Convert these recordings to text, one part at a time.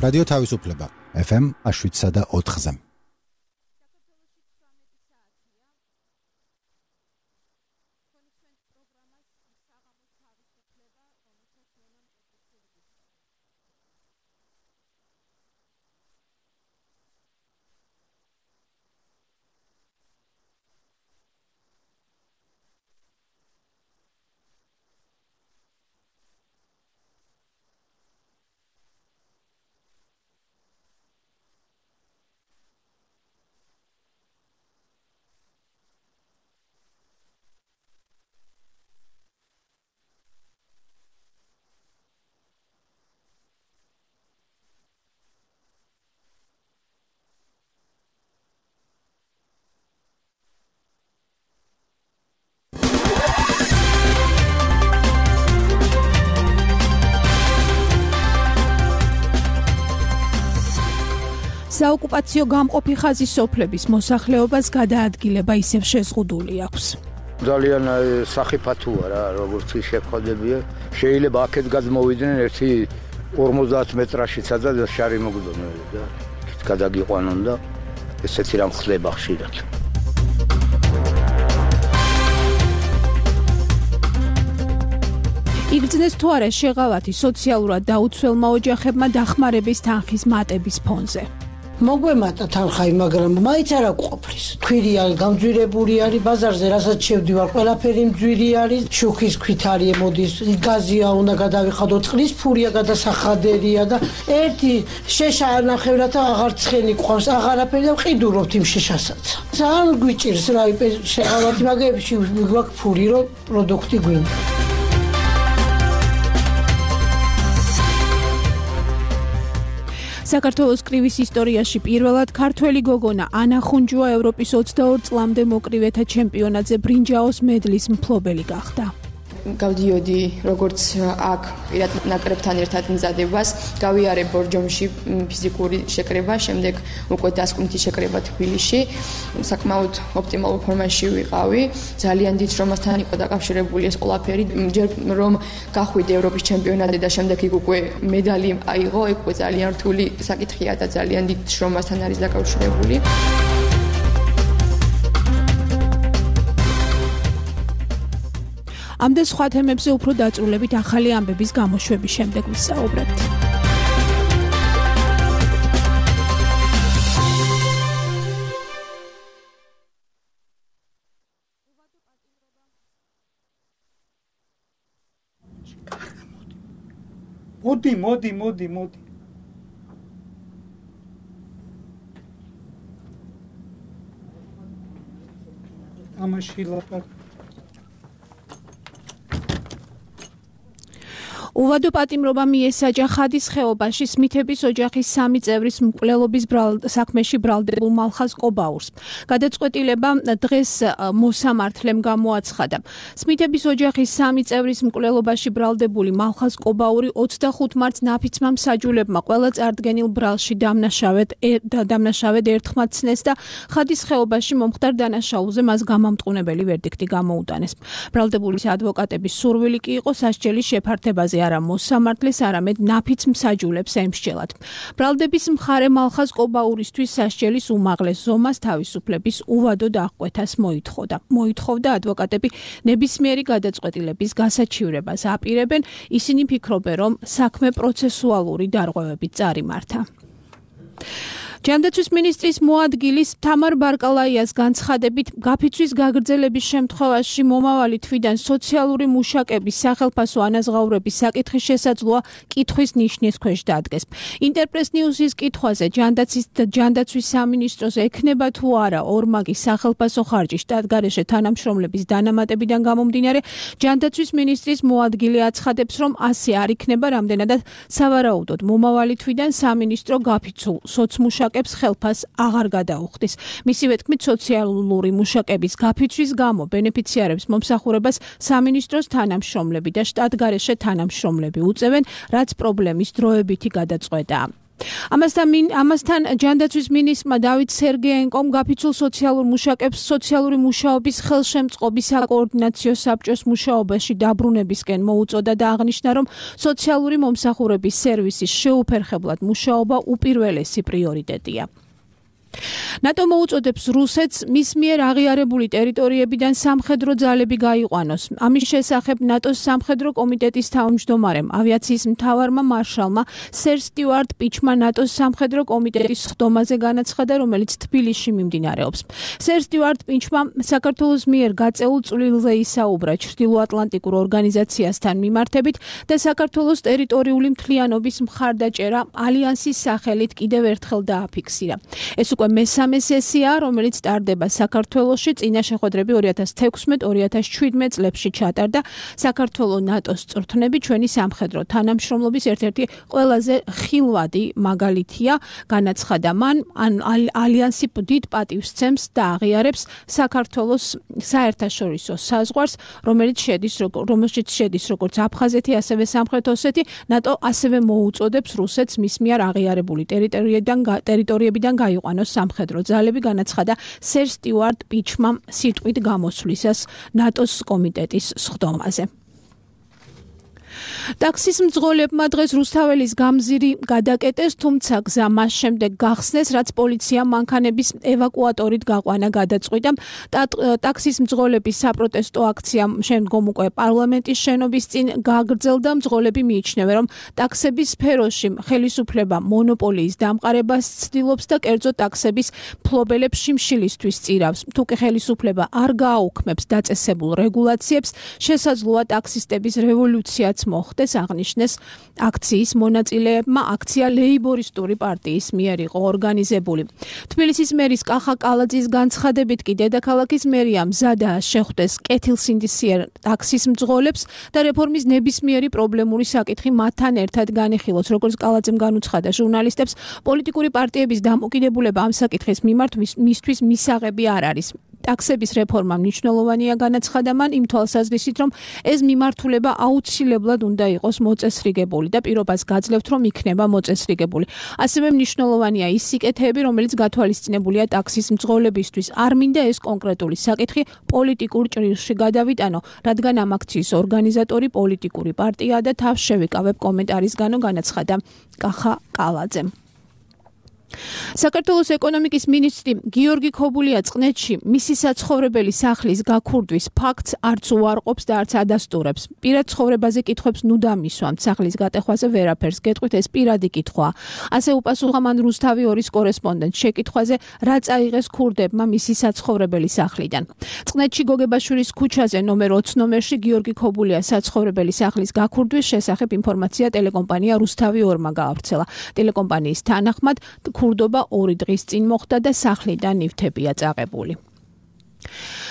რადიო თავისუფლება FM 107.4-ზე. საოკუპაციო გამყოფი ხაზის სოფლების მოსახლეობას გადაადგილება ისევ შეზღუდული აქვს. ძალიან სახიფათოა რა, როგორც შეხვდებია. შეიძლება აქეთ გადმოვიდნენ ერთი 50 მეტრაშიცა და შარი მოგდოდნენ და გადაგიყვანონ და ესეთი რამ ხდება ხშირად. იგრძნეს თუ არა შეღავათი სოციალურად დაუცველმა ოჯახებმა დახმარების თანხის მატების ფონზე. მოგვემატა თანხაი, მაგრამ მაინც არ აკვყოფრის. ქვირი არის, გამძვირებული არის, ბაზარზე რასაც შევდივარ, ყველაფერი მძვირი არის, შუქის ქვით არის მოდის, გაზია უნდა გადავიხადო, წყლის ფურია გადასახადერია და ერთი შეშა ნახევრად აღარ ცხენი ყავს, აღარაფერი და ვყიდულობთ იმ შეშასაც. ძალიან გვიჭირს რა შეღავათი მაგებში გვაქვს ფური, რომ პროდუქტი გვინდა. საქართველოს კრივის ისტორიაში პირველად ქართველი გოგონა ანა ხუნჯუა ევროპის 22 წლამდე მოკრივეთა ჩემპიონატზე ბრინჯაოს მედლის მფლობელი გახდა. გავდიოდი როგორც აქ პირად ნაკრებთან ერთად მზადებას, გავიარე ბორჯომში ფიზიკური შეკრება, შემდეგ უკვე დასკვნითი შეკრება თბილისში. საკმაოდ ოპტიმალურ ფორმაში ვიყავი. ძალიან დიდ შრომასთან იყო დაკავშირებული ეს ყველაფერი. ჯერ რომ გახვიდე ევროპის ჩემპიონატზე და შემდეგ იქ უკვე მედალი აიღო, ეგ უკვე ძალიან რთული საკითხია და ძალიან დიდ შრომასთან არის დაკავშირებული. ამ და სხვა თემებზე უფრო დაწვრილებით ახალი ამბების გამოშვების შემდეგ ვისაუბრებთ. მოდი. ამაში ლაპარაკ უვადო პატიმრობა მიესაჯა ხადის ხეობაში სმითების ოჯახის 3 წევრის მკვლელობის საქმეში ბრალდებულ მალხაზ ყობაურს. გადაწყვეტილება დღეს მოსამართლემ გამოაცხადა. სმითების ოჯახის 3 წევრის მკვლელობაში ბრალდებული მალხაზ ყობაური 25 მარტს ნაფიცმა მსაჯულებმა ყველა წარდგენილ ბრალში დამნაშავედ ერთხმად ცნეს და ხადის ხეობაში მომხდარ დანაშაულზე მას გამამტყუნებელი ვერდიქტი გამოუტანეს. ბრალდებულის ადვოკატების სურვილი კი იყო სასჯელის შეფართებაზე არა მოსამართლეს, არამედ ნაფიც მსაჯულებს ემსჯელად. ბრალდების მხარე მალხაზ ყობაურისთვის სასჯელის უმაღლეს ზომას თავისუფლების უვადო დაღკვეთას მოითხოვდა ადვოკატები ნებისმიერი გადაწყვეტილების გასაჩივრებას აპირებენ, ისინი ფიქრობენ, რომ საქმე პროცესუალური დარღვევებით წარიმართა. ჯანდაცვის მინისტრის მოადგილის თამარ ბარკალაიას განცხადებით გაფიცვის გაგრძელების შემთხვევაში მომავალი თვიდან სოციალური მუშაკების სახელფასო ანაზღაურების საკითხის შესაძლოა კითხვის ნიშნის ქვეშ დადგეს. ინტერპრეს ნიუსის კითხვაზე ჯანდაცვის სამინისტროს ექნება თუ არა ორმაგის სახელფასო ხარჯი შტატგარეშე თანამშრომლების დანამატებიდან გამომდინარე, ჯანდაცვის მინისტრის მოადგილე აცხადებს, რომ ასე არ იქნება, რამდენადაც სავარაუდოდ მომავალი თვიდან სამინისტრო გაფიცულ სოცმუშაკებს ხელფას აღარ გადაუხდის. მისივე თქმით, სოციალური მუშაკების გაფიცვის გამო ბენეფიციარებს მომსახურებას სამინისტროს თანამშრომლები და შტატგარეშე თანამშრომლები უწევენ, რაც პრობლემის დროებითი გადაწყვეტაა. ამასთან ჯანდაცვის მინისტრმა დავით სერგეენკომ გაფიცულ სოციალურ მუშაკებს სოციალური მუშაობის ხელშემწყობის საკოორდინაციო საბჭოს მუშაობაში დაბრუნებისკენ მოუწოდა და აღნიშნა, რომ სოციალური მომსახურების სერვისის შეუფერხებლად მუშაობა უპირველესი პრიორიტეტია. ნატო მოუწოდებს რუსეთს მის მიერ აღიარებული ტერიტორიებიდან სამხედრო ძალები გაიყვანოს. ამის შესახებ ნატოს სამხედრო კომიტეტის თავმჯდომარემ, ავიაციის მთავარმა მარშალმა სერ სტიუარტ პიჩმა ნატოს სამხედრო კომიტეტის ხდომაზე განაცხადა, რომელიც თბილისში მიმდინარეობს. სერ სტიუარტ პიჩმა საქართველოს მიერ გაწეულ წვლილზე ისაუბრა ჩრდილოატლანტიკურ ორგანიზაციასთან მიმართებით და საქართველოს ტერიტორიული მთლიანობის მხარდაჭერა ალიანსის სახელით კიდევ ერთხელ დააფიქსირა. ეს უკვე მესამე სესია, რომელიც ტარდება საქართველოში, წინა შეხვედრები 2016-2017 წლებში ჩატარდა. საქართველოს ნატოს წვრთნები ჩვენი სამხედრო თანამშრომლობის ერთ-ერთი ყველაზე ხილვადი მაგალითია, განაცხადა მან, ალიანსი დიდ პატივს სცემს და აღიარებს საქართველოს საერთაშორისო საზღვარს, რომელშიც შედის როგორც აფხაზეთი, ასევე სამხრეთ ოსეთი. ნატო ასევე მოუწოდებს რუსეთს მის მიერ აღიარებული ტერიტორიებიდან გაიყვანოს სამხედრო ძალები, განაცხადა სერ სტიუარტ პიჩმა სიტყვით გამოსვლისას ნატოს კომიტეტის სხდომაზე. ტაქსის მძღოლებმა დღეს რუსთაველის გამზირი გადაკეტეს, თუმცა გზა მას შემდეგ გახსნეს, რაც პოლიციამ მანქანების ევაკუატორით გაყვანა გადაწყვიტა. ტაქსის მძღოლების საპროტესტო აქცია შემდგომ უკვე პარლამენტის შენობის წინ გაგრძელდა. მძღოლები მიიჩნევენ, რომ ტაქსების სფეროში ხელისუფლება მონოპოლიის დამყარებას ცდილობს და კერძო ტაქსების მფლობელებს შიმშილისთვის წირავს. თუკი ხელისუფლება არ გააუქმებს დაწესებულ რეგულაციებს, შესაძლოა ტაქსისტების რევოლუციაც მოხდეს, აღნიშნეს აქციის მონაწილეებმა. აქცია ლეიბორისტული პარტიის მიერ იყო ორგანიზებული. თბილისის მერის კახა კალაძის განცხადებით კი დედაქალაქის მერია მზადაა შეხვდეს კეთილსინდისიერ ტაქსის მძღოლებს და რეფორმის ნებისმიერი პრობლემური საკითხი მათთან ერთად განეხილოს. როგორც კალაძემ განუცხადა ჟურნალისტებს, პოლიტიკური პარტიების დამოკიდებულება ამ საკითხის მიმართ მისთვის მისაღები არ არის. ტაქსების რეფორმა მნიშვნელოვანია, განაცხადა მან, იმ თვალსაზრისით, რომ ეს მიმართულება აუცილებლად უნდა იყოს მოწესრიგებული და პირობას გაძლევთ, რომ იქნება მოწესრიგებული. ასევე მნიშვნელოვანია ის სიკეთეები, რომელიც გათვალისწინებულია ტაქსის მძღოლებისთვის. არ მინდა ეს კონკრეტული საკითხი პოლიტიკურ ჭრილში გადავიტანო, რადგან ამ აქციის ორგანიზატორი პოლიტიკური პარტიაა და თავს შევიკავებ კომენტარისგანო, განაცხადა კახა კალაძემ. საქართველოს ეკონომიკის მინისტრი გიორგი ქობულია წყნეთში მისი საცხოვრებელი სახლის გაქურდვის ფაქტს არც უარყოფს და არც ადასტურებს. პირად ცხოვრებაზე კითხვებს ნუ დამისვამთ, სახლის გატეხვაზე ვერაფერს გეტყვით, ეს პირადი კითხვაა. ასე უპასუხა მან რუსთავი 2-ის კორესპონდენტს შეკითხვაზე, რა წაიღეს ქურდებმა მისი საცხოვრებელი სახლიდან. წყნეთში გოგებაშვილის ქუჩაზე ნომერ 20 ნომერში გიორგი ქობულია საცხოვრებელი სახლის გაქურდვის შესახებ ინფორმაცია ტელეკომპანია რუსთავი 2-მა გაავრცელა. ტელეკომპანიის თანახმად ქურდობა 2 დღის წინ მოხდა და სახლიდან ნივთებია წააღებული.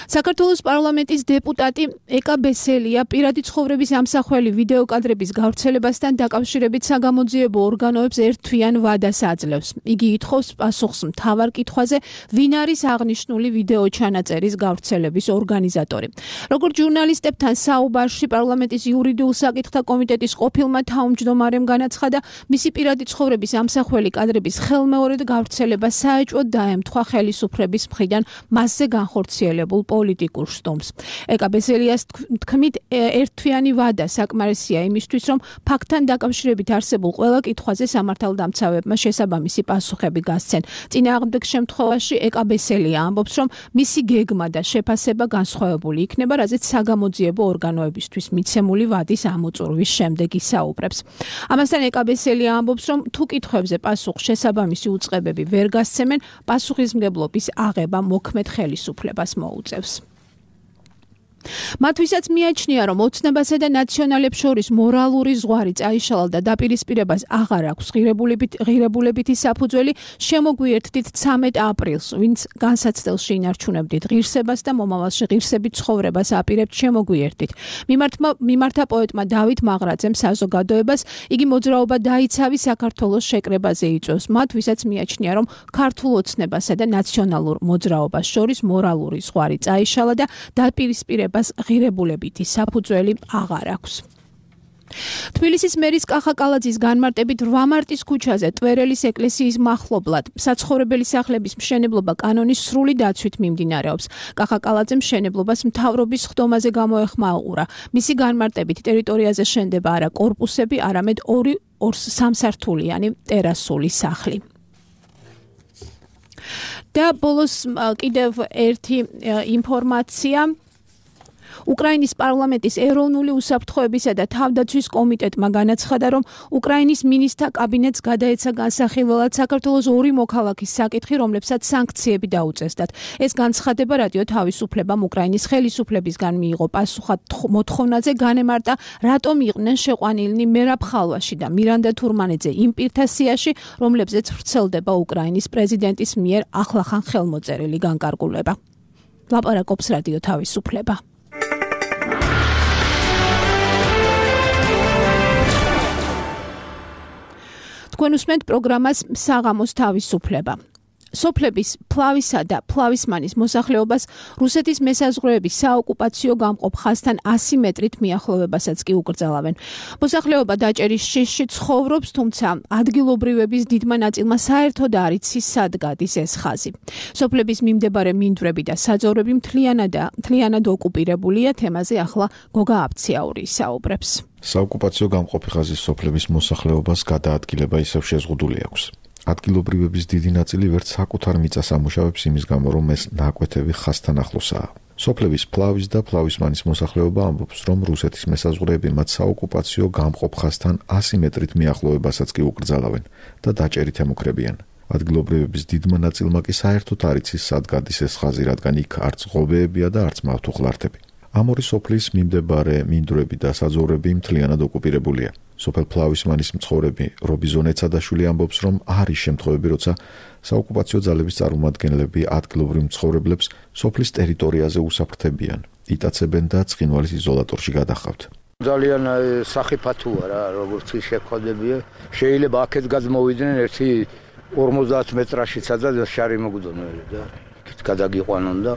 საქართველოს პარლამენტის დეპუტატი ეკა ბესელია პირადი ცხოვრების ამსახველი ვიდეოკადრების გავრცელებასთან დაკავშირებით საგამოძიებო ორგანოებს ერთთვიან ვადას აძლევს. იგი ითხოვს პასუხს მთავარ კითხვაზე, ვინ არის აღნიშნული ვიდეო ჩანაწერის გავრცელების ორგანიზატორი. როგორც ჟურნალისტებთან საუბარში პარლამენტის იურიდიულ საკითხთა კომიტეტის ყოფილმა თავმჯდომარემ განაცხადა, მისი პირადი ცხოვრების ამსახველი კადრების ხელმეორედ გავრცელება საეჭვოდ დაემთხვა ხელისუფლების მხრიდან მასზე განხორციელებულ პოლიტიკურ შტომს. ეკა ბესელიას თქმით, ერთთვიანი ვადა საკმარისია იმისთვის, რომ ფაქტთან დაკავშირებით არსებულ ყველა კითხვაზე სამართალდამცავებმა შესაბამისი პასუხები გასცენ. წინააღმდეგ შემთხვევაში ეკა ბესელია ამბობს, რომ მისი გეგმა და შეფასება განსხვავებული იქნება, რაზეც საგამოძიებო ორგანოებისთვის მიცემული ვადის ამოწურვის შემდეგ ისაუბრებს. ამასთან ეკა ბესელია ამბობს, რომ თუ კითხვებზე პასუხს შესაბამისი უწყებები ვერ გასცემენ, პასუხისმგებლობის აღება მოქმედ ხელისუფლებას მოუწევს. მათ ვისაც მიაჩნია, რომ ოცნებასა და ნაციონალებს შორის მორალური ზღვარი წაიშალა და დაპირისპირებას აღარ აქვს ღირებულებითი საფუძველი, შემოგვიერთდით 13 აპრილს, ვინც განსაცდელში ინარჩუნებდით ღირსებას და მომავალში ღირსებით ცხოვრებას აპირებთ, შემოგვიერთდით. მიმართა პოეტმა დავით მაღრაძემ საზოგადოებას, იგი მოძრაობა დაიცავი საქართველოს შეკრებაზე იწვევს. მათ ვისაც მიაჩნია, რომ ქართულ ოცნებასა და ნაციონალურ მოძრაობას შორის მორალური ზღვარი წაიშალა და დაპირისპირებას ღირებულებითი საფუძველი აღარ აქვს. თბილისის მერის კახა კალაძის განმარტებით 8 მარტის ქუჩაზე ტვერელის ეკლესიის მახლობლად საცხოვრებელი სახლების მშენებლობა კანონის სრული დაცვით მიმდინარეობს. კახა კალაძემ მშენებლობას მთავრობის ხდომაზე გამოეხმაურა. მისი განმარტებით ტერიტორიაზე შენდება არა კორპუსები, არამედ 2-3 სართულიანი ტერასული სახლი. და ბოლოს კიდევ ერთი ინფორმაცია. უკრაინის პარლამენტის ეროვნული უსაფრთხოებისა და თავდაცვის კომიტეტმა განაცხადა, რომ უკრაინის მინისტრთა კაბინეტს გადაეცა განსახილველად საქართველოს 2 მოქალაქის საკითხი, რომლებსაც სანქციები დაუწესდათ. ეს განცხადება რადიო თავისუფლებამ უკრაინის ხელისუფლებისგან მიიღო პასუხად მოთხოვნაზე, განემარტა, რატომ იყვნენ შეყვანილნი მერაბ ხალვაში და მირანდა თურმანიძე იმ პირთა სიაში, რომლებზეც ვრცელდება უკრაინის პრეზიდენტის მიერ ახლახან ხელმოწერილი განკარგულება. ლაპარაკობს რადიო თავისუფლება. თქვენ უსმენთ პროგრამას საღამოს თავისუფლება. სოფლების ფლავისა და ფლავისმანის მოსახლეობას რუსეთის მესაზღვრეების საოკუპაციო გამყოფ ხაზთან 100 მეტრით მიახლოვებასაც კი უკრძალავენ. მოსახლეობა დაჭერის შიშში ცხოვრობს, თუმცა ადგილობრივების დიდმა ნაწილმა საერთოდ არ იცის სად გადის ეს ხაზი. სოფლების მიმდებარე მინდვრები და საძოვრები მთლიანად ოკუპირებულია. თემაზე ახლა გოგა აბციაური ისაუბრებს. საოკუპაციო გამყოფი ხაზის სოფლების მოსახლეობას გადაადგილება ისევ შეზღუდული აქვს. ადგილობრივების დიდი ნაწილი ვერც საკუთარ მიწას ამუშავებს იმის გამო, რომ ეს ნაკვეთები ხაზთან ახლოსაა. სოფლების ფლავის და ფლავისმანის მოსახლეობა ამბობს, რომ რუსეთის მესაზღვრეები მათ საოკუპაციო გამყოფ ხაზთან 100 მეტრით მიახლოვებასაც კი უკრძალავენ და დაჭერით ემუქრებიან. ადგილობრივების დიდმა ნაწილმა კი საერთოდ არ იცის სად გადის ეს ხაზი, რადგან იქ არც ღობეებია და არც მავთუხლართები. ამ ორი სოფლის მიმდებარე მინდვრები და საძოვრები მთლიანად ოკუპირებულია. სოფელ ფლავისმანის მცხოვრები რობიზონ ეცადაშვილი ამბობს, რომ არის შემთხვევები, როცა საოკუპაციო ძალების წარმომადგენლები ადგილობრივ მცხოვრებლებს სოფლის ტერიტორიაზე უსაფრთხებიან, იტაცებენ და ცხინვალის იზოლატორში გადახავთ. ძალიან სახიფათოა რა, როგორც შეხვდებია. შეიძლება აქეთ გადმოვიდნენ 50 მეტრაში სადაც შარი მოგდონელი და იქით გადაგიყვანონ და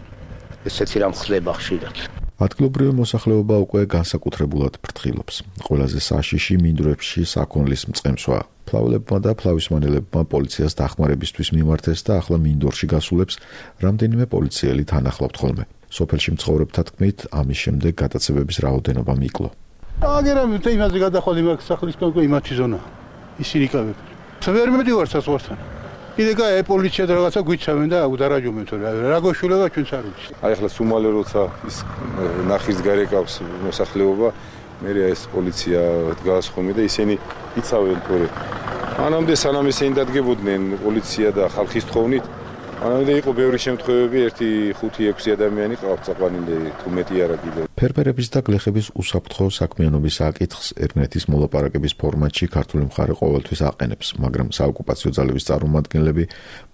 ესეთი რამ ხდება ხშირად. ადგილობრივი მოსახლეობა უკვე განსაკუთრებულად ფრთხილობს. ყველაზე საშიში მინდვრებში საქონლის მწყემსვაა. ფლავლებმა და ფლავისმანელებმა პოლიციას დახმარებისთვის მიმართეს და ახლა მინდორში გასულებს რამდენიმე პოლიციელი თან ახლავთ ხოლმე. სოფელში მცხოვრებთა თქმით, ამის შემდეგ გადაცებების რაოდენობა მიკლო. აგერამით იმაზე გადახვალ იმას სახლის კონკრეტ იმათი ზონა. ისინი კავებ. ვერ მედივარ საზღვართან. კიდე გაე პოლიცია და რაღაცა გვიცავენ და დარაჯობენ თორე რა გოშულება ჩვენც არ ვიცი. აი ახლა სუმალე როცა ის ნახის გარეკავს მოსახლეობა, მე ეს პოლიცია დგას ხოლმე და ისინი იცავენ თორე. მანამდე სანამ ისინი დადგებოდნენ პოლიცია და ხალხის თხოვნით, მანამდე იყო ბევრი შემთხვევები, 1-5-6 ადამიანი ყავთ საყვანილი თუ მეტი არა კიდე. ფერმერების და გლეხების უსაფრთხო საქმიანობის საკითხს ერნეთის მოლაპარაკების ფორმატში ქართული მხარე ყოველთვის აყენებს, მაგრამ საოკუპაციო ძალების წარმომადგენლები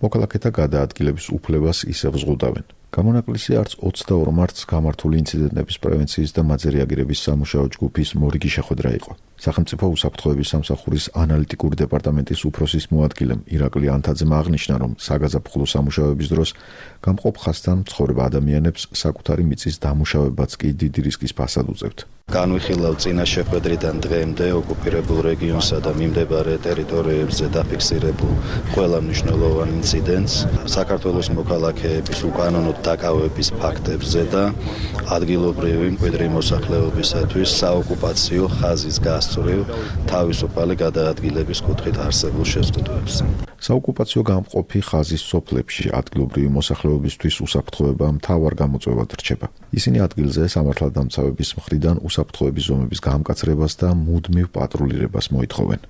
მოქალაქეთა გადაადგილების უფლებას ისევ ზღუდავენ. გამონაკლისი არც 22 მარტს გამართული ინციდენტების პრევენციის და მათზე რეაგირების სამუშაო ჯგუფის მორიგი შეხვედრა იყო. სახელმწიფო უსაფრთხოების სამსახურის ანალიტიკური დეპარტამენტის უფროსის მოადგილემ ირაკლი ანთაძემ აღნიშნა, რომ საგაზაფხულო სამუშაოების დროს გამყოფ ხაზთან მცხოვრებ ადამიანებს საკუთარი მიწის დამუშავებაც კი დიდი რისკის ფასად უწევთ. განვიხილავ წინა შეხვედრიდან დღემდე ოკუპირებულ რეგიონსა და მიმდებარე ტერიტორიებზე დაფიქსირებულ ყველა მნიშვნელოვან ინციდენტს, საქართველოს მოქალაქეების უკანონოდ დაკავების ფაქტებზე და ადგილობრივი მკვიდრი მოსახლეობისათვის საოკუპაციო ხაზის გასწვრივ თავისუფალი გადაადგილების კუთხით არსებულ შეზღუდვებს. საოკუპაციო გამყოფი ხაზის სოფლებში ადგილობრივი მოსახლეობისთვის უსაფრთხოება მთავარ გამოწვევად რჩება. ისინი ადგილზე სამართალდამცავების მხრიდან უსაფრთხოების ზომების გამკაცრებას და მუდმივ პატრულირებას მოითხოვენ.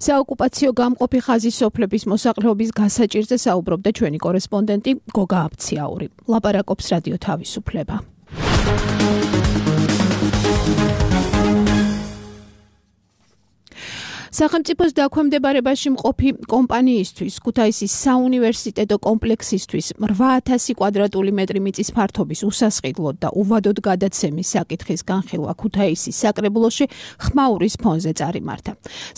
საოკუპაციო გამყოფი ხაზის სოფლების მოსახლეობის გასაჭირზე საუბრობდა ჩვენი კორესპონდენტი გოგა აბციაური. ლაპარაკობს რადიო თავისუფლება. სახელმწიფოს დაქვემდებარებაში მყოფი კომპანიისთვის ქუთაისის საუნივერსიტეტო კომპლექსისთვის 8000 კვადრატული მეტრი მიწის ფართობის უსასყიდლოდ და უვადოდ გადაცემის საკითხის განხილვა ქუთაისის საკრებულოში ხმაურის ფონზე წარიმართა.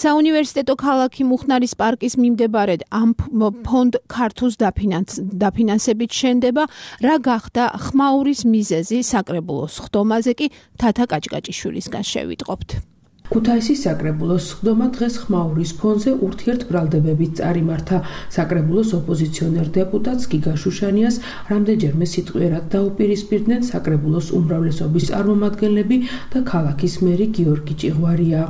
საუნივერსიტეტო ქალაქი მუხნარის პარკის მიმდებარედ ამ ფონდ ქართულს დაფინანსებით შენდება, რა გახდა ხმაურის მიზეზი საკრებულოს ხდომაზე კი თათა კაჭკაჭიშვილისგან შევიტყობთ. ქუთაისის საკრებულოს ხდომა დღეს ხმაურის ფონზე ურთიერთბრალდებებით წარიმართა. საკრებულოს ოპოზიციონერ დეპუტატს გიგა შუშანიას რამდენჯერმე სიტყვიერად დაუპირისპირდნენ საკრებულოს უმრავლესობის წარმომადგენლები და ქალაქის მერი გიორგი ჭიღვარია.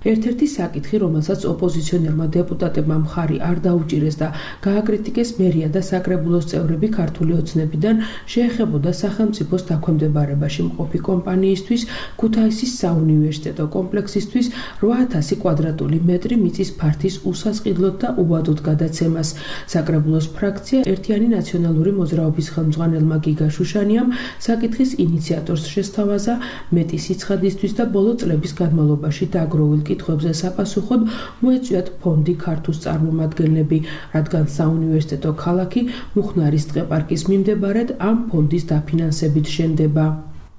ერთ-ერთი საკითხი, რომელსაც ოპოზიციონერმა დეპუტატებმა მხარი არ დაუჭირეს და გააკრიტიკეს მერია და საკრებულოს წევრები ქართული ოცნებიდან, შეეხებოდა სახელმწიფოს დაქვემდებარებაში მყოფი კომპანიისთვის ქუთაისის საუნივერსიტეტო კომპლექსისთვის 8000 კვადრატული მეტრი მიწის ფართის უსასყიდლოდ და უვადოდ გადაცემას. საკრებულოს ფრაქცია ერთიანი ნაციონალური მოძრაობის ხელმძღვანელმა გიგა შუშანიამ საკითხის ინიციატორს შესთავაზა მეტი სიცხადისთვის და ბოლო წლების განმავლობაში დაგროვილ კითხვებზე საპასუხოდ მოეწვიათ ფონდი ქართულს წარმომადგენლები, რადგან საუნივერსიტეტო ქალაქი მუხნარის ტყეპარკის მიმდებარედ ამ ფონდის დაფინანსებით შენდება.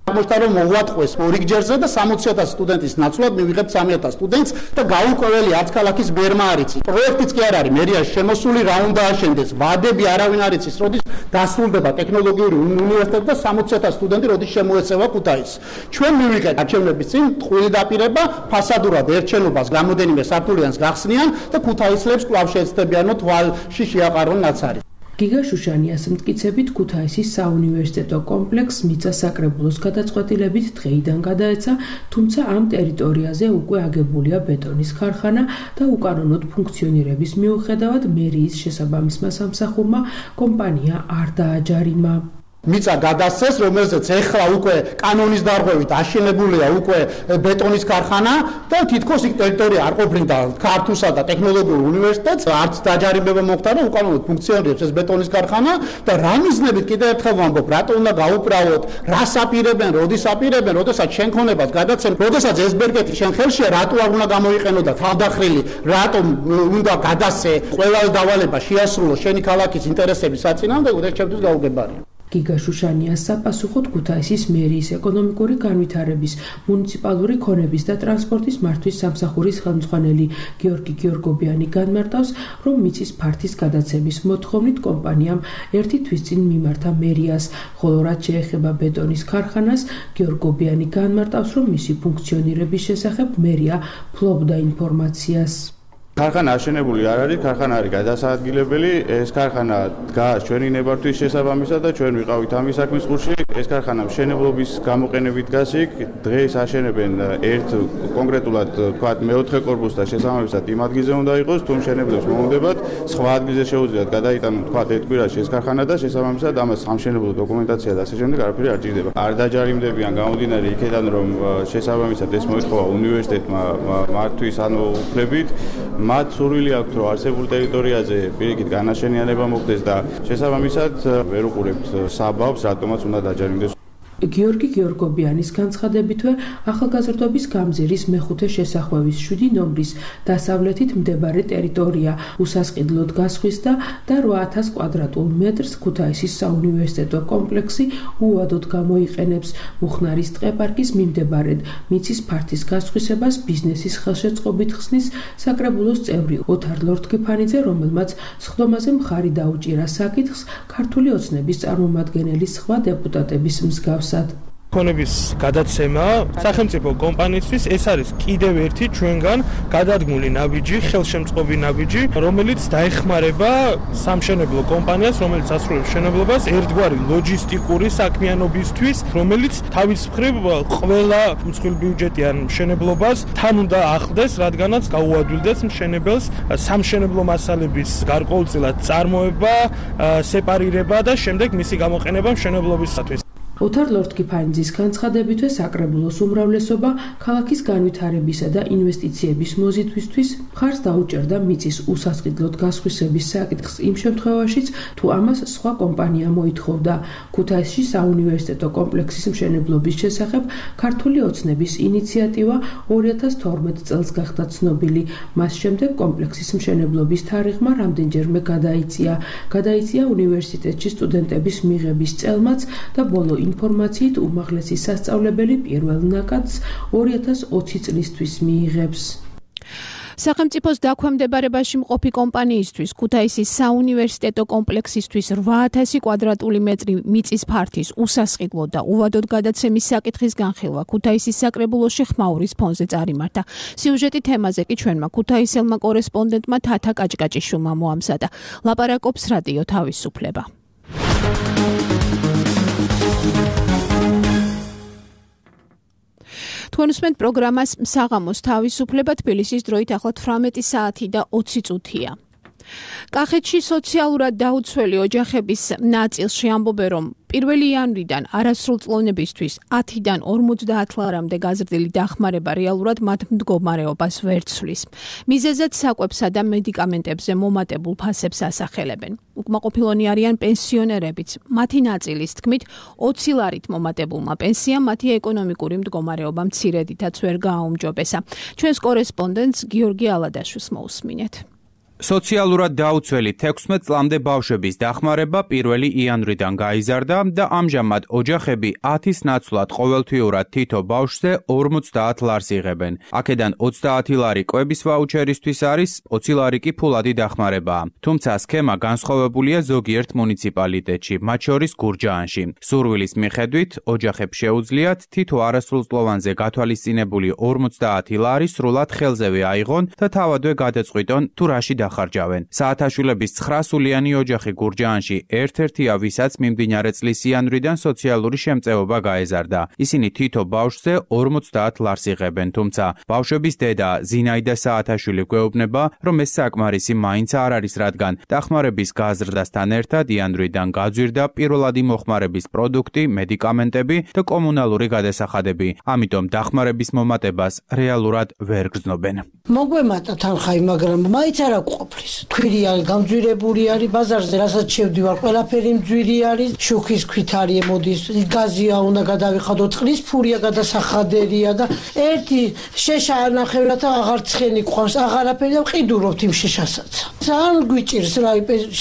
აღმოჩნდა რომ მოვატყვეს ორიგჯერზე და 60000 სტუდენტის ნაცვლად მივიღებთ 3000 სტუდენტს და გაუკვეველი არც ქალაქის ბერმა არ იცის. პროექტიც კი არ არის მერიაში შემოსული, რა უნდა აშენდეს, ვადები არავინ არ იცის, როდის დასრულდება ტექნოლოგიური უნივერსიტეტი და 60000 სტუდენტი როდის შემოეცევა ქუთაისს. ჩვენ მივიღეთ არჩევნების წინ ტყუილი დაპირება, ფასადურად ერთ შენობას რამოდენიმე სართულიანს გახსნიან და ქუთაისლებს კვლავ შეეცდებიანოთ ვალში შეაყარონ ნაცარი. გიგა შუშანიას მტკიცებით ქუთაისის საუნივერსიტეტო კომპლექსს მიწა საკრებულოს გადაწყვეტილებით დღეიდან გადაეცა, თუმცა ამ ტერიტორიაზე უკვე აგებულია ბეტონის ქარხანა და უკანონოდ ფუნქციონირების მიუხედავად მერიის შესაბამისმა სამსახურმა კომპანია არ დააჯარიმა. მიწა გადასცეს, რომელზეც ეხლა უკვე კანონის დარღვევით აშენებულია უკვე ბეტონის ქარხანა და თითქოს იქ ტერიტორია არ ყოფნიდა ქართულსა და ტექნოლოგიურ უნივერსიტეტს, არც დაჯარიმება მოხდა და უკანონოდ ფუნქციონირებს ეს ბეტონის ქარხანა და რა მიზნებით კიდევ ერთხელ ვამბობ, რატო უნდა გაუправოთ, რას აპირებენ, როდის აპირებენ, როდესაც შენ ქონებას გადაცემ, როდესაც ეს ბერკეტი შენ ხელშია, რატო არ უნდა გამოიყენო და თავდახრილი, რატომ უნდა გადასცე ყველა დავალება შეასრულო შენი ქალაქის ინტერესების საწინააღმდეგოდ, ეს ჩემთვის გაუგებარია. გიგა შუშანიას საპასუხოდ ქუთაისის მერიის ეკონომიკური განვითარების, მუნიციპალური ქონების და ტრანსპორტის მართვის სამსახურის ხელმძღვანელი გიორგი გიორგობიანი განმარტავს, რომ მიწის ფართის გადაცემის მოთხოვნით კომპანიამ ერთი თვის წინ მიმართა მერიას, ხოლო რაც შეეხება ბეტონის ქარხანას, გიორგობიანი განმარტავს, რომ მისი ფუნქციონირების შესახებ მერია ფლობდა ინფორმაციას. ქარხანა აშენებული არ არის, ქარხანა არის გადასაადგილებელი, ეს ქარხანა დგას ჩვენი ნებართვის შესაბამისად და ჩვენ ვიყავით ამის საქმის ყურში. ეს ქარხანა მშენებლობის გამოყენებით დგას იქ, დღეს აშენებენ ერთ კონკრეტულად თქვათ მეოთხე კორპუსს და შესაბამისად იმ ადგილზე უნდა იყოს, თუ მშენებლებს მოუნდებათ, სხვა ადგილზე შეუძლიათ გადაიტანონ თქვათ ერთ კვირაში ეს ქარხანა და შესაბამისად ამას სამშენებლო დოკუმენტაცია და ასე შემდეგ არაფერი არ ჭირდება. არ დაჯარიმდებიან გამომდინარე იქიდან, რომ შესაბამისად ეს მოითხოვა უნივერსიტეტმა მართვის ანუ უფლებით. მათ სურვილი აქვთ, რომ არსებულ ტერიტორიაზე პირიქით განაშენიანება მოხდეს და შესაბამისად ვერ უყურებთ საბაბს, რატომაც უნდა დაჯარიმდეს. გიორგი გიორგობიანის განცხადებითვე ახალგაზრდობის გამზირის მეხუთე შესახვევის 7 ნომრის დასავლეთით მდებარე ტერიტორია უსასყიდლოდ გასხვისდა და 8000 კვადრატულ მეტრს ქუთაისის საუნივერსიტეტო კომპლექსი უვადოდ გამოიყენებს. მუხნარის ტყეპარკის მიმდებარედ მიწის ფართის გასხვისებას ბიზნესის ხელშეწყობით ხსნის საკრებულოს წევრი ოთარ ლორთქიფანიძე, რომელმაც სხდომაზე მხარი დაუჭირა საკითხს ქართული ოცნების წარმომადგენელი სხვა დეპუტატების მსგავს. ქონების გადაცემა სახელმწიფო კომპანიისთვის ეს არის კიდევ ერთი ჩვენგან გადადგმული ნაბიჯი, ხელშემწყობი ნაბიჯი, რომელიც დაეხმარება სამშენებლო კომპანიას, რომელიც ასრულებს მშენებლობას ერთგვარი ლოჯისტიკური საქმიანობისთვის, რომელიც თავის მხრივ ყველა მსხვილბიუჯეტიან მშენებლობას თან უნდა ახლდეს, რადგანაც გაუადვილდეს მშენებელს სამშენებლო მასალების გარკვეულწილად წარმოება, სეპარირება და შემდეგ მისი გამოყენება მშენებლობისათვის. ოთარ ლორთქიფანიძის განცხადებითვე საკრებულოს უმრავლესობა ქალაქის განვითარებისა და ინვესტიციების მოზიდვისთვის მხარს დაუჭერდა მიწის უსასყიდლოდ გასხვისების საკითხს იმ შემთხვევაშიც, თუ ამას სხვა კომპანია მოითხოვდა. ქუთაისში საუნივერსიტეტო კომპლექსის მშენებლობის შესახებ ქართული ოცნების ინიციატივა 2012 წელს გახდა ცნობილი. მას შემდეგ კომპლექსის მშენებლობის თარიღმა რამდენჯერმე გადაიწია უნივერსიტეტში სტუდენტების მიღების წელმაც და ბოლო ინფორმაციით უმაღლესი სასწავლებელი პირველ ნაკადს 2020 წლისთვის მიიღებს. სახელმწიფოს დაქვემდებარებაში მყოფი კომპანიისთვის ქუთაისის საუნივერსიტეტო კომპლექსისთვის 8000 კვადრატული მეტრი მიწის ფართის უსასყიდლო და უვადოდ გადაცემის საკითხის განხილვა ქუთაისის საკრებულოში ხმაურის ფონზე წარიმართა. სიუჟეტი თემაზე კი ჩვენმა ქუთაისელმა კორესპონდენტმა თათა კაჭკაჭიშვილმა მოამზადა. ლაპარაკობს რადიო თავისუფლება. თქვენ უსმენთ პროგრამას საღამოს თავისუფლება, თბილისის დროით ახლა 18 საათი და 20 წუთია. კახეთში სოციალურად დაუცველი ოჯახების ნაწილში ამბობენ, რომ 1 იანვრიდან არასრულწლოვნებისთვის 10-დან 50 ლარამდე გაზრდილი დახმარება რეალურად მათ მდგომარეობას ვერ ცვლის. მიზეზად საკვებსა და მედიკამენტებზე მომატებულ ფასებს ასახელებენ. უკმაყოფილონი არიან პენსიონერებიც. მათი ნაწილის თქმით, 20 ლარით მომატებულმა პენსიამ მათი ეკონომიკური მდგომარეობა მცირედითაც ვერ გააუმჯობესა. ჩვენს კორესპონდენტს გიორგი ალადაშვილს მოусმინეთ. სოციალურად დაუცველი 16 წლამდე ბავშვების დახმარება 1 იანვრიდან გაიზარდა და ამჟამად ოჯახები 10-ის ნაცვლად ყოველთვიურად თითო ბავშვზე 50 ლარს იღებენ. აქედან 30 ლარი კვების ვაუჩერისთვის არის, 20 ლარი კი ფულადი დახმარებაა. თუმცა სქემა განსხვავებულია ზოგიერთ მუნიციპალიტეტში, მათ შორის გურჯაანში. სურვილის მიხედვით ოჯახებს შეუძლიათ თითო არასრულწლოვანზე გათვალისწინებული 50 ლარი სრულად ხელზევე აიღონ და თავადვე გადაწყვიტონ თუ რაში ხარჯავენ. საათაშვილების 9 სულიანი ოჯახი გურჯაანში ერთ-ერთია, ვისაც მიმდინარე წლის იანვრიდან სოციალური შემწეობა გაეზარდა. ისინი თითო ბავშვზე 50 ლარს იღებენ, თუმცა ბავშვების დედა ზინაიდა საათაშვილი გვეუბნება, რომ ეს საკმარისი მაინც არ არის, რადგან დახმარების გაზრდასთან ერთად იანვრიდან გაძვირდა პირველადი მოხმარების პროდუქტი, მედიკამენტები და კომუნალური გადასახადები. ამიტომ დახმარების მომატებას რეალურად ვერ გრძნობენ. მოგვემატა თანხაი, მაგრამ მაინც არ ყოფლის. თვირი არის გამძვირებული არის, ბაზარზე რასაც შევდივარ, ყველაფერი მძვირი არის, შუქის ქვით არის ემოდის, გაზია უნდა გადავიხადო, წყლის ფურია გადასახადერია და ერთი შეშა ნახევრად აღარ ცხენი ყავს, აღარაფერი და ყიდურობთ იმ შეშასაც. ძალიან გვიჭირს რა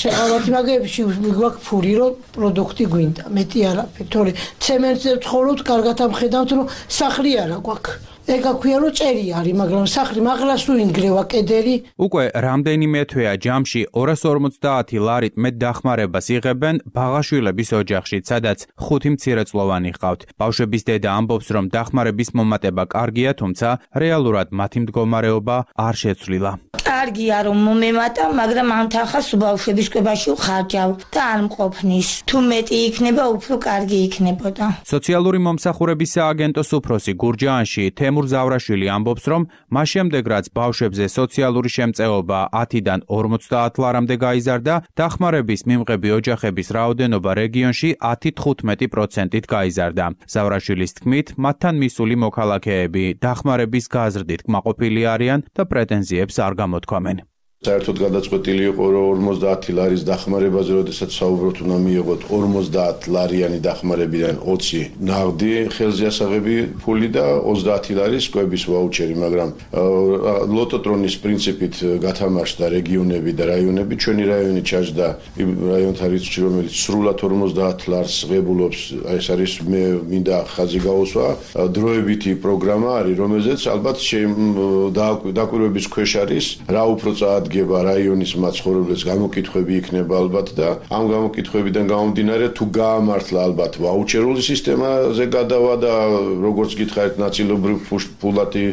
შეყავათი მაგებში გვაქვს ფური, რომ პროდუქტი გვინდა, მეტი არაფერი, თორე ცემენტზე ვცხოვრობთ, კარგად ამხედავთ, რომ სახლი არა გვაქვს. ეგა ქვია რომ ჭერი არის, მაგრამ სახლი მაღლას თუ ინგრევა კედელი. უკვე რამდენიმე თვეა ჯამში 250 ლარით მეტ დახმარებას იღებენ ბაღაშვილების ოჯახში, სადაც 5 მცირეწლოვანი ჰყავთ. ბავშვების დედა ამბობს, რომ დახმარების მომატება კარგია, თუმცა რეალურად მათი მდგომარეობა არ შეცვლილა. კარგია რომ მომემატა, მაგრამ ამ თანხას ბავშვების კვებაში ვხარჯავ და არ მყოფნის. თუ მეტი იქნება, უფრო კარგი იქნებოდა. სოციალური მომსახურების სააგენტოს უფროსი გურჯაანში თემურ ზავრაშვილი ამბობს, რომ მას შემდეგ რაც ბავშვებზე სოციალური შემწეობა 10-დან 50 ლარამდე გაიზარდა, დახმარების მიმღები ოჯახების რაოდენობა რეგიონში 10-15%-ით გაიზარდა. ზავრაშვილის თქმით, მათთან მისული მოქალაქეები დახმარების გაზრდით კმაყოფილი არიან და პრეტენზიებს არ გამოთქვამენ. საერთოდ გადაწყვეტილი იყო, რომ 50 ლარის დახმარებაზე, როდესაც საუბრობთ, უნდა მიიღოთ 50 ლარიანი დახმარებიდან 20 ნაღდი ხელზეასაღები ფული და 30 ლარის კვების ვაუჩერი, მაგრამ ლოტოტრონის პრინციპით გათამაშდა რეგიონები და რაიონები. ჩვენი რაიონი ჩაჯდა იმ რაიონთა რიცხვში, რომელიც სრულად 50 ლარს ღებულობს. ეს არის მე მინდა ხაზი გაუსვა. დროებითი პროგრამა არის, რომელზეც ალბათ დაკვირვების ქვეშ არის, რა უფრო გება რაიონის მაცხოვრებლებს გამოკითხვები იქნება ალბათ და ამ გამოკითხვებიდან გამომდინარე თუ გაამართლა ალბათ ვაუჩერული სისტემაზე გადავა და როგორც გითხარით ნაწილობრივ ფულადი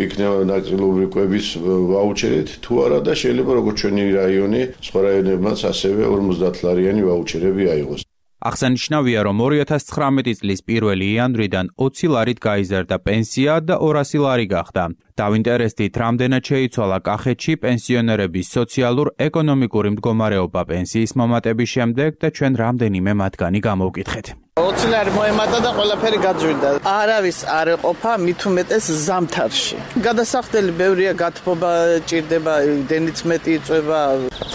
იქნება ნაწილობრივ კვების ვაუჩერით თუ არა და შეიძლება როგორც ჩვენი რაიონი სხვა რაიონებმაც ასევე 50 ლარიანი ვაუჩერები აიღოს. აღსანიშნავია, რომ 2019 წლის 1 იანვრიდან 20 ლარით გაიზარდა პენსია და 200 ლარი გახდა. დავინტერესდით, რამდენად შეიცვალა კახეთში პენსიონერების სოციალურ-ეკონომიკური მდგომარეობა პენსიის მომატების შემდეგ და ჩვენ რამდენიმე მათგანი გამოვკითხეთ. 20 ლარი მოემატა და ყველაფერი გაძვირდა. არავის არ ეყოფა მით უმეტეს ზამთარში. გადასახდელი ბევრია, გათბობა ჭირდება, დენიც მეტი იწვება.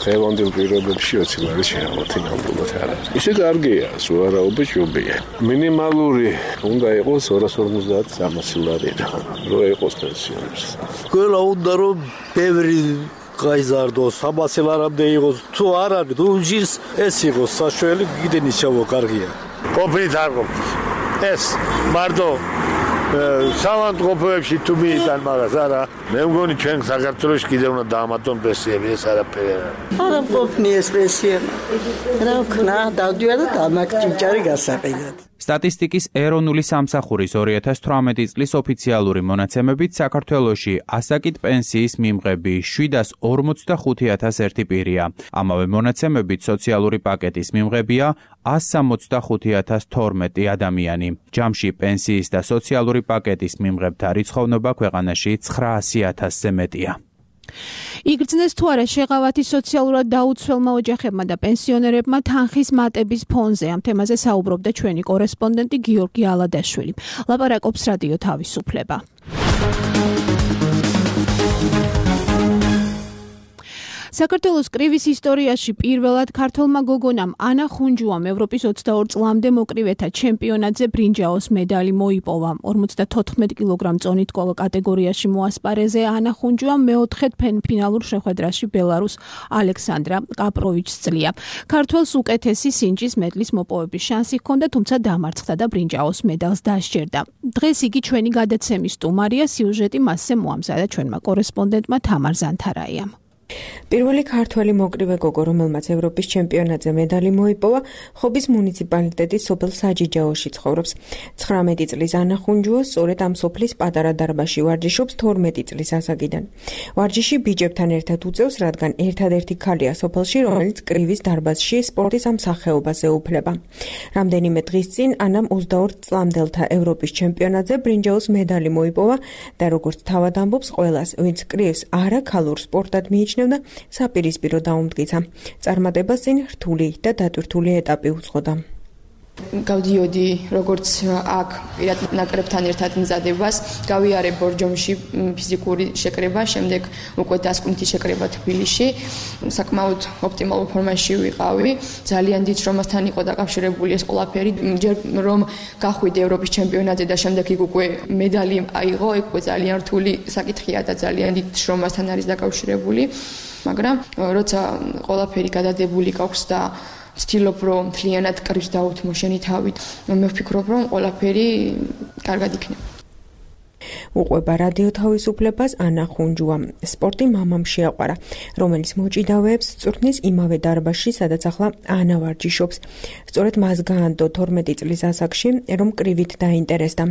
ხელოვნურ პირობებში 20 ლარი შეაღოთ ნამდვილად არ არის. ისე კარგია, სუარაობა ჯობია. მინიმალური უნდა იყოს 250-300 ლარი და რო იყოს პენსიონერს. ყველა უნდა რომ ბევრი გაიზარდოს, 300 ლარამდე იყოს, თუ არ არის, თუ ჟის ეს იყოს საშველი, კიდენი ჩავო კარგია. ყოფილით არ ყოფილით. ეს მარტო სამანტყოფოებში თუ მიიტან მაგას არა. მე მგონი ჩვენ საქართველოში კიდევ უნდა დაამატონ პენსიები, ეს არაფერი არ არის. არა ყოფნი ეს პენსიები. რა ვქნა, დავდივარ და დამაგჭიჭარი გასაყიდად. სტატისტიკის ეროვნული სამსახურის 2018 წლის ოფიციალური მონაცემებით საქართველოში ასაკით პენსიის მიმღები 745,001 პირია. ამავე მონაცემებით სოციალური პაკეტის მიმღებია 165,012 ადამიანი. ჯამში პენსიის და სოციალური პაკეტის მიმღებთა რიცხოვნობა ქვეყანაში 900,000-ზე მეტია. იგრძნეს თუ არა შეღავათი სოციალურად დაუცველმა ოჯახებმა და პენსიონერებმა თანხის მატების ფონზე. ამ თემაზე საუბრობდა ჩვენი კორესპონდენტი გიორგი ალადაშვილი. ლაპარაკობს რადიო თავისუფლება. საქართველოს კრივის ისტორიაში პირველად ქართველმა გოგონამ ანა ხუნჯუამ ევროპის 24 წლამდე მოკრივეთა ჩემპიონატზე ბრინჯაოს მედალი მოიპოვა. 54 კილოგრამ წონით კატეგორიაში მოასპარეზე ანა ხუნჯუამ მეოთხედ ფინალურ შეხვედრაში ბელარუს ალექსანდრა კაპროვიჩს წლია. ქართველს უკეთესი სინჯის მედლის მოპოვების შანსი ჰქონდა, თუმცა დამარცხდა და ბრინჯაოს მედალს დასჯერდა. დღეს იგი ჩვენი გადაცემის სტუმარია, სიუჟეტი მასზე მოამზადა ჩვენმა კორესპონდენტმა თამარ ზანთარაიამ. პირველი ქართველი მოკრივე გოგო, რომელმაც ევროპის ჩემპიონატზე მედალი მოიპოვა, ხობის მუნიციპალიტეტის სოფელ საჯიჯაოში ცხოვრობს. 19 წლის ანა ხუნჯუა სწორედ ამ სოფლის პატარა დარბაზში ვარჯიშობს 12 წლის ასაკიდან. ვარჯიში ბიჯებთან ერთად უწევს, რადგან ერთადერთი ქალია სოფელში, რომელიც კრივის დარბაზში სპორტის ამ სახეობაზე უფლება. რამდენიმე დღის წინ ანამ 22 წლამდელთა ევროპის ჩემპიონატზე ბრინჯაოს მედალი მოიპოვა და როგორც თავად ამბობს, ყველას, ვინც კრივს არაქალურ სპორტად მიიჩნევდა, საპირისპირო დაუმტკიცა. წარმატებას წინ რთული და დატვირთული ეტაპი უძღოდა. გავდიოდი როგორც აქ პირად ნაკრებთან ერთად მზადებას, გავიარე ბორჯომში ფიზიკური შეკრება, შემდეგ უკვე დასკვნითი შეკრება თბილისში. საკმაოდ ოპტიმალურ ფორმაში ვიყავი. ძალიან დიდ შრომასთან იყო დაკავშირებული ეს ყველაფერი. ჯერ რომ გახვიდე ევროპის ჩემპიონატზე და შემდეგ იქ უკვე მედალი აიღო, იქ უკვე ძალიან რთული საკითხია და ძალიან დიდ შრომასთან არის დაკავშირებული. მაგრამ როცა ყველაფერი გადადებული გაქვს და ვცდილობ რომ მთლიანად კრივს დავუთმო შენი თავით, მე ვფიქრობ რომ ყველაფერი კარგად იქნება. უყვება რადიო თავისუფლებას ანა ხუნჯუა. სპორტი მამამ შეაყვარა, რომელიც მოჭიდავეებს წვრთნის იმავე დარბაზში, სადაც ახლა ანა ვარჯიშობს. სწორედ მას გაანდო 12 წლის ასაკში, რომ კრივით დაინტერესდა.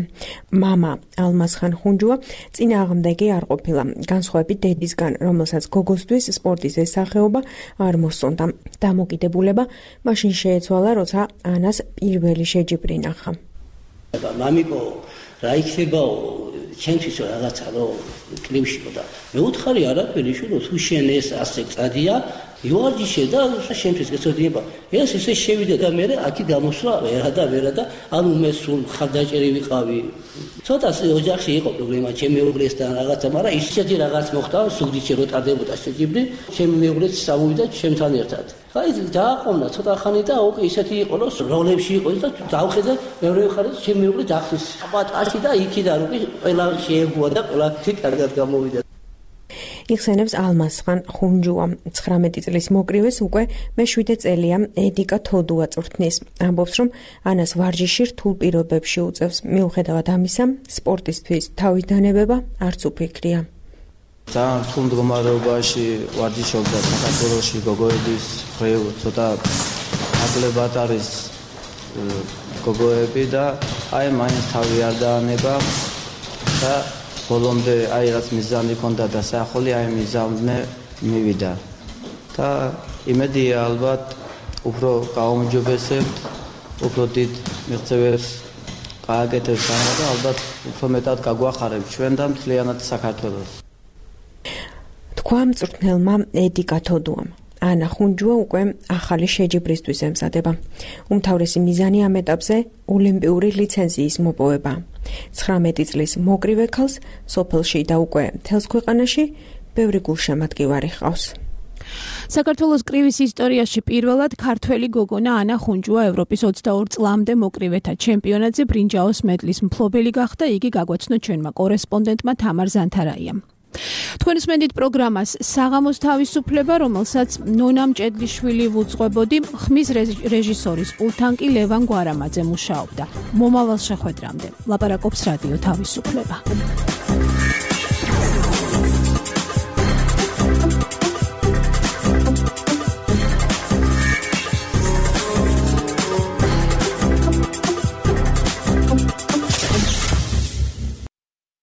მამა ალმასხან ხუნჯუა წინააღმდეგი არ ყოფილა, განსხვავებით დედისგან, რომელსაც გოგოსთვის სპორტის ეს სახეობა არ მოსწონდა. დამოკიდებულება მაშინ შეეცვალა, როცა ანას პირველი შეჯიბრი ნახა. მამიკო, რა იქნებაო ჩემთვის რაღაცა რომ კრივშიო და მე უთხარი არაფერი შულო თუ შენ ეს ასე წადია იوارჯიშე და შენთვის გეცოდინება ეს ესე შევიდა და მე აქი გამოსვლა ვერა და ანუ მე სულ ხარდაჭერი ვიყავი ცოტა ოჯახში იყო პრობლემა ჩემი მეუღლესთან რაღაცა მაგრამ ისეთი რაღაც მოხდა სულდიჩი რო ტარდებოდა შეჯიბრი ჩემი მეუღლეც სამოვიდა ჩემთან ერთად აი დააყოვნა ცოტა ხანი და ოკ ისეთი იყო რომ როლებში იყო და დავხედე მეორე მხარეს ჩემი მეუღლე დახსის პატაში და იქიდან უკვე ყველა შეეგუა და ყველა კარგად გამოვიდა. იხსენებს ალმასხან ხუნჯუა. 19 წლის მოკრივეს უკვე მე-7 წელია ედიკა თოდუა წვრთნის. ამბობს, რომ ანას ვარჯიში რთულ პირობებში უწევს. მიუხედავად ამისა, სპორტისთვის თავის დანებება არც უფიქრია. ძალიან რთულ მდგომარეობაში ვარჯიშობდა საქართველოში გოგოების მხრივ ცოტა აკლებად არის გოგოები და აი მაინც თავი არ დაანება და ბოლომდე აი რაც მიზანი ჰქონდა და საახალი აი მიზანზე მივიდა და იმედია ალბათ უფრო გაუმჯობესებთ უფრო დიდ მიღწევებს გააკეთებს და ალბათ უფრო მეტად გაგვახარებთ ჩვენ და მთლიანად საქართველოს. თქვა მწვრთნელმა ედიკა თოდუამ. ანა ხუნჯუა უკვე ახალი შეჯიბრისთვის ემზადება. უმთავრესი მიზანი ამ ეტაპზე ოლიმპიური ლიცენზიის მოპოვება. 19 წლის მოკრივე ქალს სოფელში და უკვე მთელს ქვეყანაში ბევრი გულშემატკივარი ჰყავს. საქართველოს კრივის ისტორიაში პირველად ქართველი გოგონა ანა ხუნჯუა ევროპის 22 წლამდე მოკრივეთა ჩემპიონატზე ბრინჯაოს მედლის მფლობელი გახდა. იგი გაგვაცნო ჩვენმა კორესპონდენტმა თამარ ზანთარაიამ. თქვენს მენდით პროგრამას საღამოს თავისუფლება, რომელსაც ნონა მჭედლიშვილი ვუძღვებოდი, ხმის რეჟისორის პულტთან კი ლევან გვარამაძე მუშაობდა. მომავალ შეხვედრამდე ლაპარაკობს რადიო თავისუფლება.